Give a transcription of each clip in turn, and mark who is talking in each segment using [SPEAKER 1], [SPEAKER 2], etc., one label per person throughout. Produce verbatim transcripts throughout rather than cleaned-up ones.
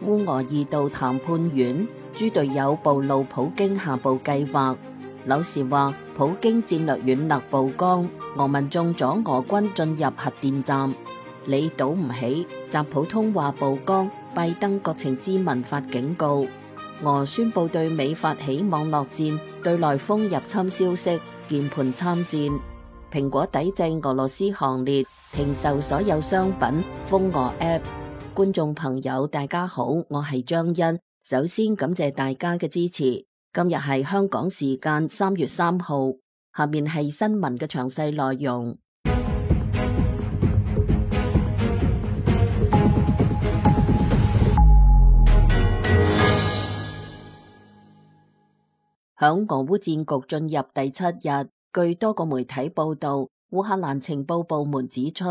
[SPEAKER 1] 烏俄二度談判軟，豬隊友暴露普京下部計劃。柳時話普京戰略軟肋曝光，俄民眾阻俄軍進入核電站。你賭唔起，習普通話曝光，拜登國情咨文發警告。俄宣布對美發起網絡戰，對內封入侵消息，鍵盤參戰。蘋果抵制俄羅斯行列，停售所有商品，封俄 App。觀眾朋友大家好，我係張欣，首先感謝大家嘅支持。今日係香港時間三月三號，下面係新聞嘅詳細內容。響俄烏戰局進入第七日，據多個媒體報道，烏克蘭情報部門指出，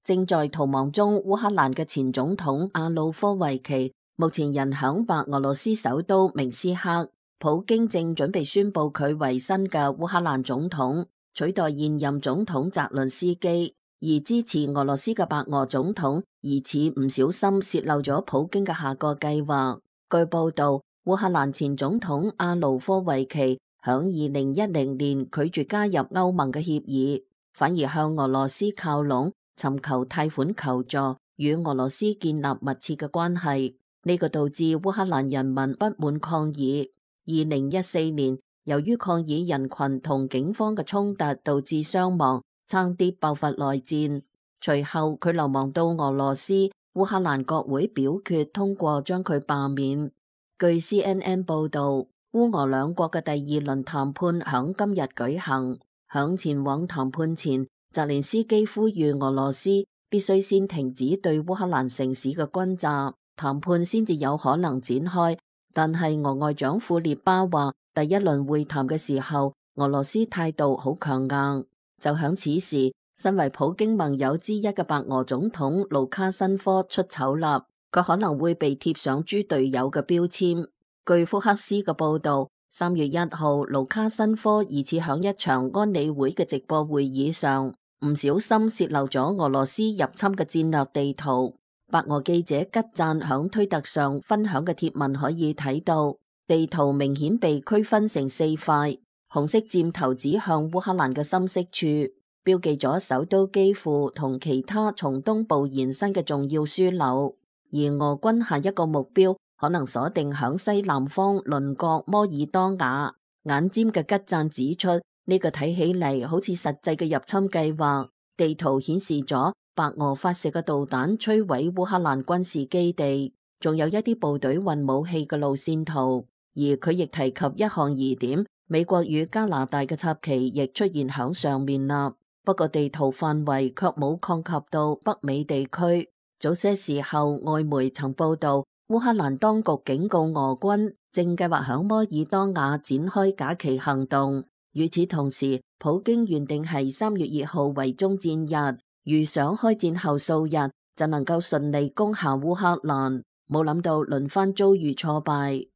[SPEAKER 1] 正在逃亡中烏克蘭嘅前總統亞努科維奇目前人響白俄羅斯首都明斯克，普京正準備宣布佢為新嘅烏克蘭總統，取代現任總統澤倫斯基。而支持俄羅斯嘅白俄總統疑似唔小心洩漏咗普京嘅下個計劃。據報道，烏克蘭前總統亞努科維奇響二零一零年拒絕加入歐盟嘅協議，反而向俄羅斯靠攏，尋求貸款求助，與俄羅斯建立密切嘅關係。呢、這個導致烏克蘭人民不滿抗議。二零一四年，由於抗議人群同警方嘅衝突導致傷亡，差啲爆發內戰。隨後佢流亡到俄羅斯，烏克蘭國會表決通過將佢罷免。據 C N N 報道，烏俄兩國嘅第二輪談判響今日舉行。響前往談判前，澤連斯基呼籲俄羅斯必須先停止對烏克蘭城市嘅轟炸，談判先至有可能展開。但係俄外長庫列巴話，第一輪會談嘅時候，俄羅斯態度好強硬。就響此時，身為普京盟友之一嘅白俄總統盧卡申科出醜啦。佢可能會被貼上豬隊友嘅標籤。據福克斯嘅報道，三月一號，盧卡申科疑似響一場安理會嘅直播會議上，唔小心洩漏咗俄羅斯入侵嘅戰略地圖。白俄記者吉贊響推特上分享嘅貼文可以睇到，地圖明顯被區分成四塊，紅色箭頭指向烏克蘭嘅深色處，標記咗首都基輔同其他從東部延伸嘅重要樞紐。而俄軍下一個目標可能鎖定響西南方鄰國摩爾多瓦。眼尖嘅吉贊指出，呢、這個睇起嚟好似實際嘅入侵計劃。地圖顯示咗白俄發射嘅導彈摧毀烏克蘭軍事基地，仲有一啲部隊運武器嘅路線圖。而佢亦提及一項疑點，美國與加拿大嘅插旗亦出現響上面啦。不過地圖範圍卻冇擴及到北美地區。早些時候，外媒曾報道，烏克蘭當局警告俄軍正計劃響摩爾多瓦展開假旗行動。與此同時，普京原定係三月二號為終戰日，預想開戰後數日就能夠順利攻下烏克蘭，冇諗到輪番遭遇挫敗。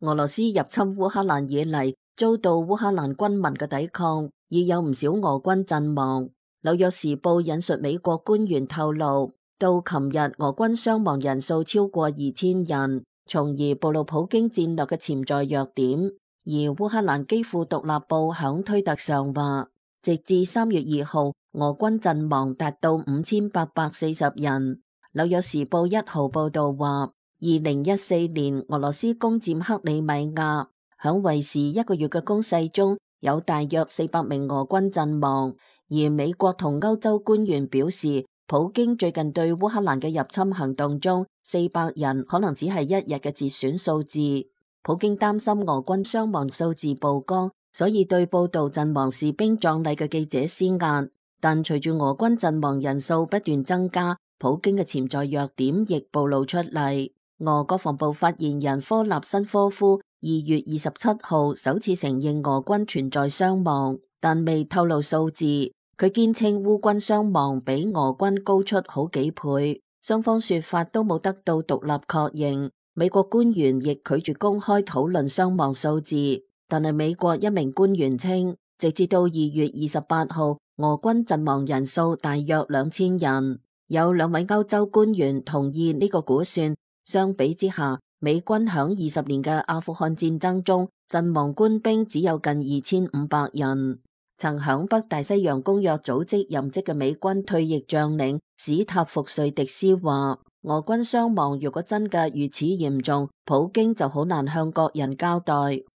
[SPEAKER 1] 俄羅斯入侵烏克蘭以嚟，遭到烏克蘭軍民嘅抵抗，已有唔少俄軍陣亡。紐約時報引述美國官員透露，到琴日俄軍傷亡人數超過二千人，從而暴露普京戰略嘅潛在弱點。而烏克蘭基輔獨立報響推特上話，直至三月二號，俄軍陣亡達到五千八百四十人。紐約時報一號報道話，二零一四年俄羅斯攻佔克里米亞，響為時一個月嘅攻勢中，有大約四百名俄軍陣亡。而美國同歐洲官員表示，普京最近對烏克蘭嘅入侵行動中，四百人可能只係一日嘅節選數字。普京擔心俄軍傷亡數字曝光，所以對報道陣亡士兵葬禮嘅記者施壓。但隨住俄軍陣亡人數不斷增加，普京嘅潛在弱點亦暴露出嚟。俄國防部發言人科納申科夫二月二十七號首次承認俄軍存在傷亡，但未透露數字。佢堅稱烏軍傷亡比俄軍高出好幾倍，雙方說法都冇得到獨立確認。美國官員亦拒絕公開討論傷亡數字，但係美國一名官員稱，直至到二月二十八號，俄軍陣亡人數大約兩千人。有兩位歐洲官員同意呢個估算。相比之下，美軍響二十年嘅阿富汗戰爭中，陣亡官兵只有近二千五百人。曾響北大西洋公約組織任職嘅美軍退役將領史塔福瑞迪斯話，俄軍傷亡如果真嘅如此嚴重，普京就好難向國人交代。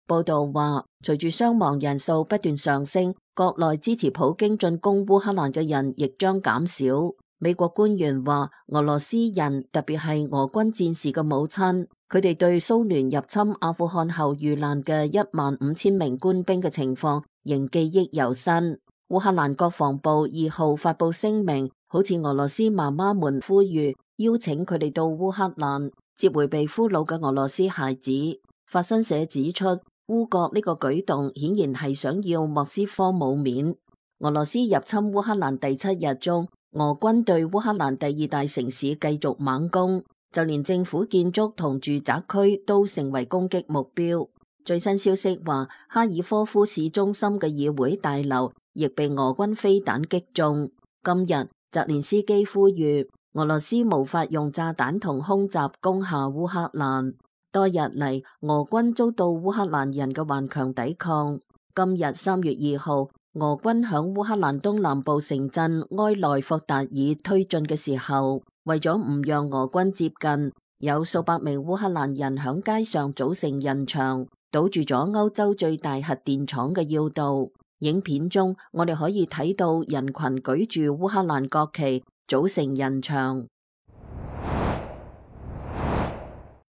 [SPEAKER 1] 報道話，隨住傷亡人數不斷上升，國內支持普京進攻烏克蘭嘅人亦將減少。美國官員話，俄羅斯人特別係俄軍戰士嘅母親，佢哋對蘇聯入侵阿富汗後遇難嘅一萬五千名官兵嘅情況仍記憶猶新。烏克蘭國防部二號發佈聲明，好似俄羅斯媽媽們呼籲，邀請佢哋到烏克蘭接回被俘虜嘅俄羅斯孩子。法新社指出，烏國呢個舉動顯然係想要莫斯科冇面。俄羅斯入侵烏克蘭第七日中，俄軍對烏克蘭第二大城市繼續猛攻，就連政府建築同住宅區都成為攻擊目標。最新消息話，哈爾科夫市中心嘅議會大樓亦被俄軍飛彈擊中。今日澤連斯基呼籲俄羅斯無法用炸彈同空襲攻下烏克蘭。多日嚟，俄軍遭到烏克蘭人嘅頑強抵抗。今日三月二號，俄軍響烏克蘭東南部城鎮埃內霍達爾推進嘅時候，為咗唔讓俄軍接近，有數百名烏克蘭人響街上組成人牆，堵住咗歐洲最大核電廠嘅要道。影片中，我哋可以睇到人群舉住烏克蘭國旗，組成人牆。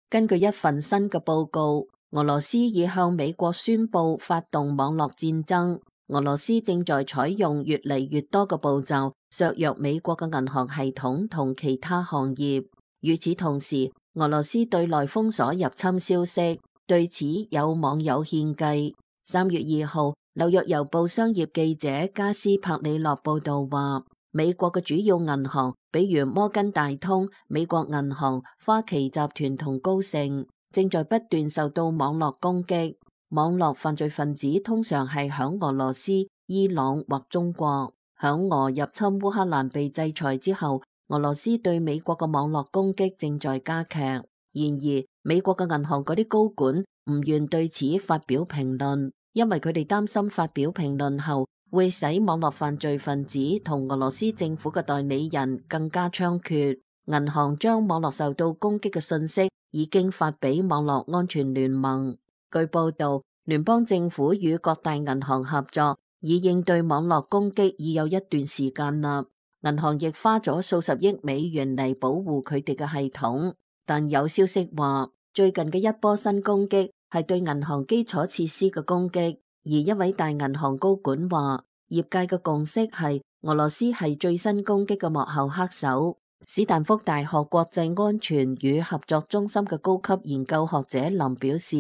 [SPEAKER 1] 根據一份新嘅報告，俄羅斯已向美國宣布發動網絡戰爭。俄羅斯正在採用越嚟越多嘅步驟，削弱美國嘅銀行系統同其他行業。與此同時，俄羅斯對內封鎖入侵消息，對此有網友獻計。三月二號，紐約郵報商業記者加斯帕里諾報道話，美國嘅主要銀行，比如摩根大通、美國銀行、花旗集團同高盛，正在不斷受到網絡攻擊。網絡犯罪分子通常係響俄羅斯、伊朗或中國。響俄入侵烏克蘭被制裁之後，俄羅斯對美國嘅網絡攻擊正在加劇。然而，美國嘅銀行嗰啲高管唔願對此發表評論，因為佢哋擔心發表評論後會使網絡犯罪分子同俄羅斯政府嘅代理人更加猖獗。銀行將網絡受到攻擊嘅信息已經發俾網絡安全聯盟。據報道，聯邦政府與各大銀行合作，以應對網絡攻擊已有一段時間啦。銀行亦花咗數十億美元嚟保護佢哋嘅系統。但有消息話，最近嘅一波新攻擊係對銀行基礎設施嘅攻擊。而一位大銀行高管話，業界嘅共識係俄羅斯係最新攻擊嘅幕後黑手。史丹福大學國際安全與合作中心嘅高級研究學者林表示，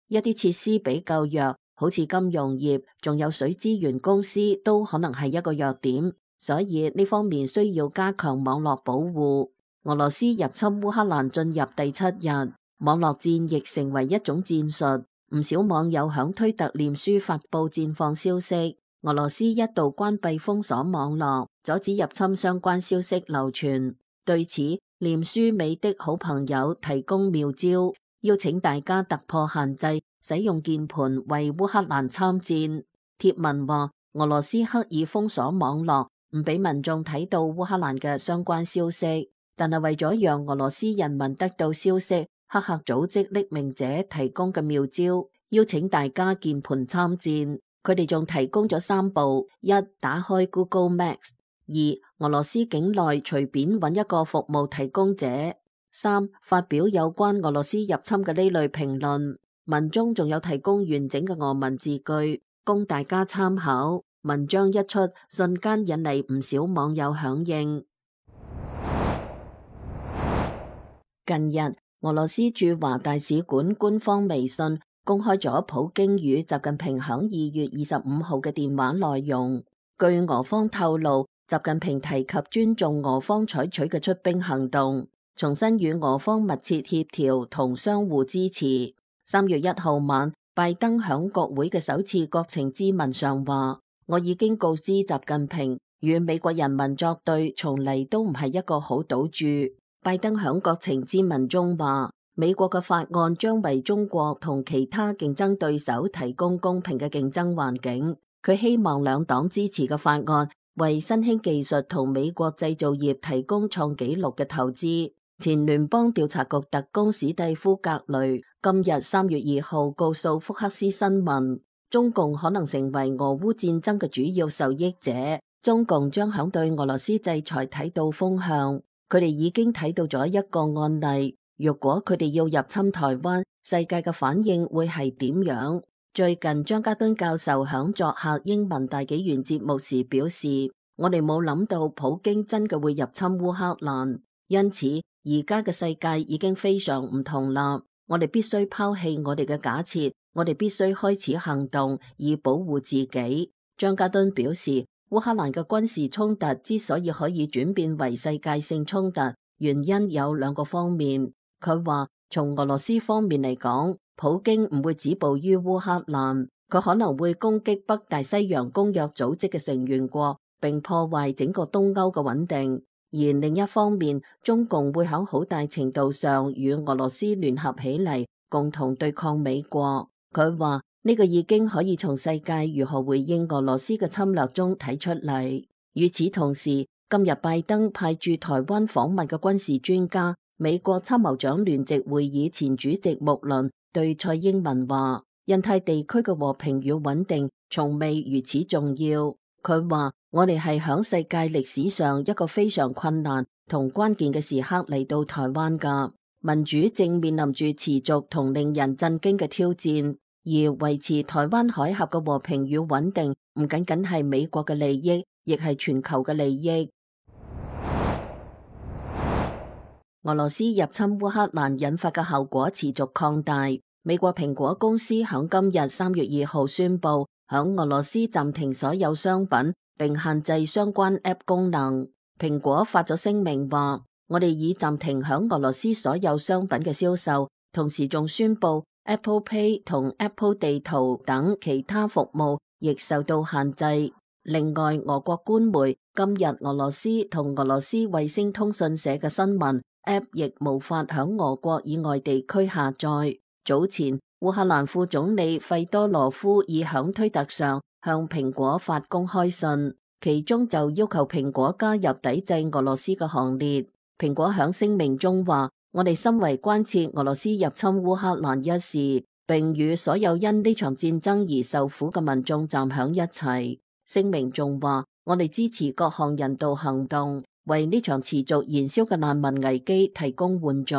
[SPEAKER 1] 一啲設施比較弱，好似金融業，仲有水資源公司都可能係一個弱點，所以呢方面需要加強網絡保護。俄羅斯入侵烏克蘭進入第七日，網絡戰亦成為一種戰術。唔少網友響推特臉書發佈戰況消息。俄羅斯一度關閉封鎖網絡，阻止入侵相關消息流傳。對此，臉書美的好朋友提供妙招，邀請大家突破限制，使用鍵盤為烏克蘭參戰。貼文話，俄羅斯刻意封鎖網絡，唔俾民眾睇到烏克蘭嘅相關消息，但係為咗讓俄羅斯人民得到消息，黑客組織匿名者提供嘅妙招，邀請大家鍵盤參戰。佢哋仲提供咗三步：一、打開 Google Maps；二、俄羅斯境內隨便揾一個服務提供者；三、發表有關俄羅斯入侵嘅呢類評論。文中仲有提供完整嘅俄文字句，供大家參考。文章一出，瞬間引嚟唔少網友響應。近日，俄羅斯駐華大使館官方微信公開咗普京與習近平響二月二十五號嘅電話內容。據俄方透露，習近平提及尊重俄方採取嘅出兵行動，重申與俄方密切協調同相互支持。三月一號晚，拜登響國會嘅首次國情咨文上話，我已經告知習近平，與美國人民作對從嚟都唔係一個好賭注。拜登響國情咨文中話，美國嘅法案將為中國同其他競爭對手提供公平嘅競爭環境。佢希望兩黨支持嘅法案為新興技術同美國製造業提供創紀錄嘅投資。前聯邦調查局特工史蒂夫·格雷今日三月二號告訴福克斯新聞，中共可能成為俄烏戰爭嘅主要受益者。中共將響對俄羅斯制裁睇到風向，佢哋已經睇到咗一個案例。如果佢哋要入侵台灣，世界嘅反應會係點樣？最近張家敦教授響作客英文大紀元節目時表示，我哋冇諗到普京真嘅會入侵烏克蘭，因此而家嘅世界已經非常唔同啦。我哋必須拋棄我哋嘅假設，我哋必須開始行動以保護自己。張家敦表示，烏克蘭嘅軍事衝突之所以可以轉變為世界性衝突，原因有兩個方面。佢話，從俄羅斯方面嚟講，普京唔會止步於烏克蘭，佢可能會攻擊北大西洋公約組織嘅成員國，並破壞整個東歐嘅穩定。而另一方面，中共會喺好大程度上與俄羅斯聯合起嚟，共同對抗美國。佢話呢個已經可以從世界如何回應俄羅斯嘅侵略中睇出嚟。與此同時，今日拜登派駐台灣訪問嘅軍事專家，美國參謀長聯席會議前主席穆倫對蔡英文話，印太地區嘅和平與穩定從未如此重要。佢話，我哋係響世界歷史上一個非常困難同關鍵嘅時刻嚟到台灣噶，民主正面臨住持續同令人震驚嘅挑戰，而維持台灣海峽嘅和平與穩定唔僅僅係美國嘅利益，亦係全球嘅利益。俄羅斯入侵烏克蘭引發嘅後果持續擴大。美國蘋果公司響今日三月二號宣布，響俄羅斯暫停所有商品，並限制相關 App 功能。蘋果發咗聲明話，我哋已暫停響俄羅斯所有商品嘅銷售，同時仲宣布 Apple Pay 同 Apple 地圖等其他服務亦受到限制。另外，俄國官媒今日俄羅斯同俄羅斯衛星通訊社嘅新聞 App 亦無法響俄國以外地區下載。早前，烏克蘭副總理費多羅夫已響推特上向蘋果發公開信，其中就要求蘋果加入抵制俄羅斯嘅行列。蘋果響聲明中話，我哋深為關切俄羅斯入侵烏克蘭一事，並與所有因呢場戰爭而受苦嘅民眾站響一齊。聲明仲話，我哋支持各項人道行動，為呢場持續燃燒嘅難民危機提供援助。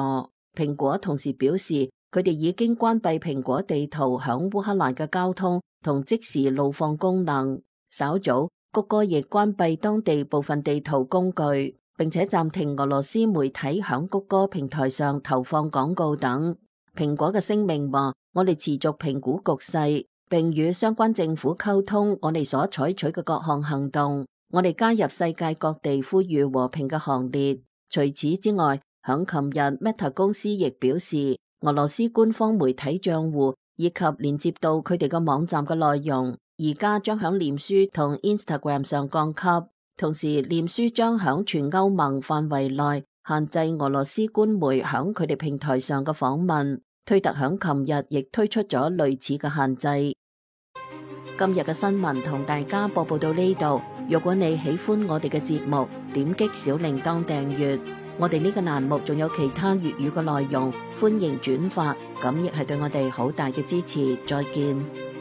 [SPEAKER 1] 蘋果同時表示，佢哋已經關閉蘋果地圖響烏克蘭嘅交通同即時路況功能。稍早，谷歌亦關閉當地部分地圖工具，並且暫停俄羅斯媒體響谷歌平台上投放廣告等。蘋果嘅聲明話，我哋持續評估局勢，並與相關政府溝通我哋所採取嘅各項行動。我哋加入世界各地呼籲和平嘅行列。除此之外，響琴日 Meta 公司亦表示，俄羅斯官方媒體賬戶以及連接到佢哋嘅網站嘅內容，而家將響臉書同 Instagram 上降級。同時，臉書將響全歐盟範圍內限制俄羅斯官媒響佢哋平台上嘅訪問。推特響琴日亦推出咗類似嘅限制。今日嘅新聞同大家播報到呢度。如果你喜歡我哋嘅節目，點擊小鈴鐺訂閱。我哋呢個欄目仲有其他粵語嘅內容，歡迎轉發，咁亦係對我哋好大嘅支持。再見。